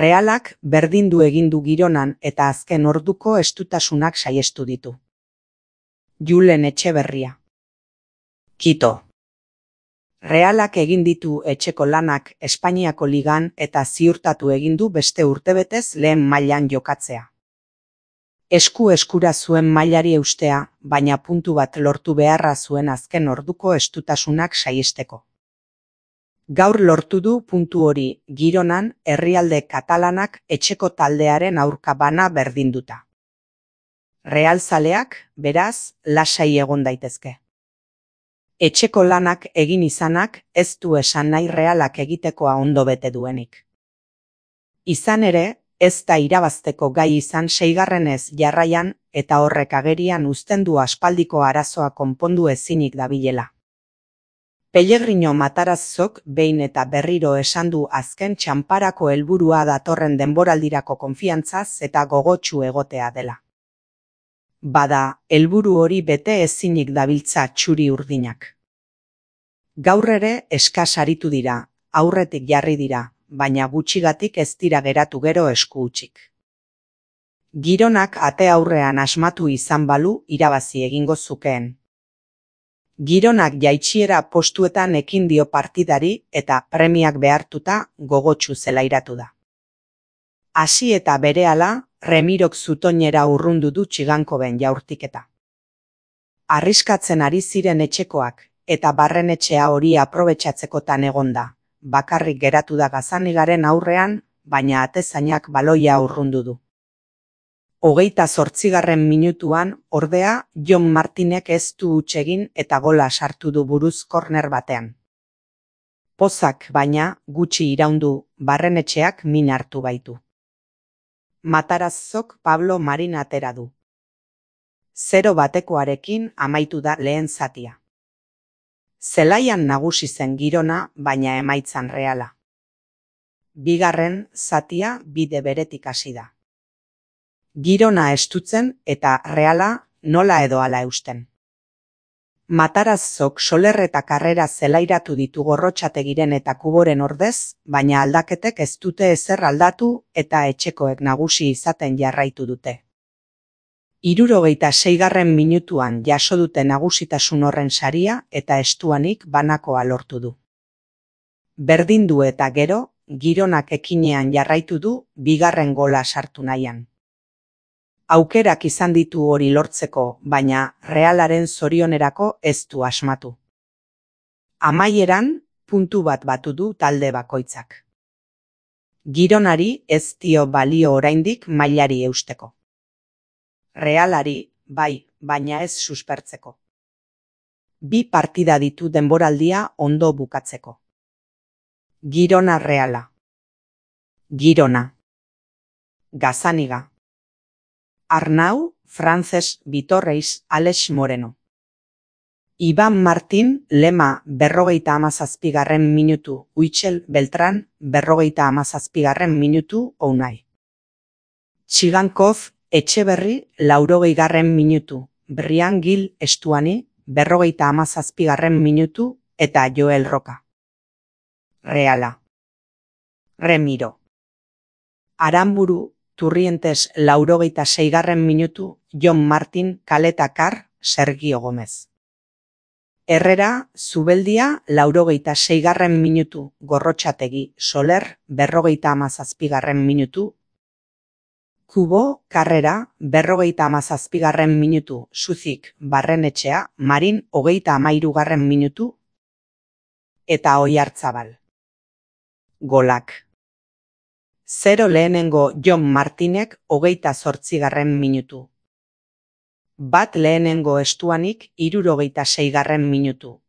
Realak berdindu egin du Gironan eta azken orduko estutasunak saihestu ditu. Julen Etxeberria. Kito. Realak egin ditu etxeko lanak Espainiako ligan eta ziurtatu egin du beste urtebetez lehen mailan jokatzea. Eskura zuen mailari eustea, baina puntu bat lortu beharra zuen azken orduko estutasunak saihesteko. Gaur lortu du puntu hori Gironan herrialde katalanak etxeko taldearen aurka bana berdinduta. Realzaleak, beraz, lasai egon daitezke. Etxeko lanak egin izanak ez du esan nahi Realak egitekoa ondo bete duenik. Izan ere, ez da irabazteko gai izan 6. jarraian eta horrek agerian uzten du aspaldiko arazoa konpondu ezinik dabilela. Pellegrino Matarazzok behin eta berriro esan du azken txanparako helburua datorren denboraldirako konfiantzaz eta gogotsu egotea dela. Bada, helburu hori bete ezinik dabiltza txuri urdinak. Gaur ere eskas aritu dira, aurretik jarri dira, baina gutxigatik ez dira geratu gero esku hutsik. Gironak ate aurrean asmatu izan balu irabazi egingo zukeen. Gironak jaitsiera postuetan ekin dio partidari eta premiak behartuta gogotsu zelairatu da. Hasi eta berehala, Remirok zutoinera urrundu du Txigankoben jaurtiketa. Arriskatzen ari ziren etxekoak eta barrenetxea hori aprobetxatzekotan egonda. Bakarrik geratu da Gazanigaren aurrean, baina atezainak baloia urrundu du. 28. minutuan, ordea, Jon Martinek ez du huts egin eta gola sartu du buruz korner batean. Pozak, baina, gutxi iraundu, barrenetxeak min hartu baitu. Matarazzok Pablo Marin atera du. 0-batekoarekin amaitu da lehen zatia. Zelaian nagusi zen Girona, baina emaitzan Reala. Bigarren zatia bide beretik hasi da. Girona estutzen eta Reala nola edo hala eusten. Matarazzok Soler eta Karrera zelairatu ditu Gorrotxategiren eta Kuboren ordez, baina aldaketek ez dute ezer aldatu eta etxekoek nagusi izaten jarraitu dute. 76. minutuan jaso dute nagusitasun horren saria eta estuanik banakoa lortu du. Berdindu eta gero, Gironak ekinean jarraitu du bigarren gola sartu nahian. Aukerak izan ditu hori lortzeko, baina Realaren zorionerako ez du asmatu. Amaieran, puntu bat batu du talde bakoitzak. Gironari ez dio balio oraindik mailari eusteko. Realari, bai, baina ez suspertzeko. 2 partida ditu denboraldia ondo bukatzeko. Girona Reala. Girona. Gazaniga. Arnau, Frances Vitorreis, Alex Moreno. Iban Martin, Lema 57. minutu, Huitxel Beltran 57. minutu, Unai. Txigankov, Etxeberri 80. minutu, Brian Gil Estuani 57. minutu eta Joel Roca. Reala. Remiro. Aramburu, Turrientes 86. minutu, Jon Martin Kaletakar, Sergio Gomez. Herrera, Zubeldia 86. minutu, Gorrotxategi Soler 57. minutu, Kubo, Karrera, 57. minutu, Suzik Barrenetxea, Marin 33. minutu, eta Oiartzabal. Golak. 0 lehenengo Jon Martinek 28. minutu. 1 lehenengo Estuanik 66. minutu,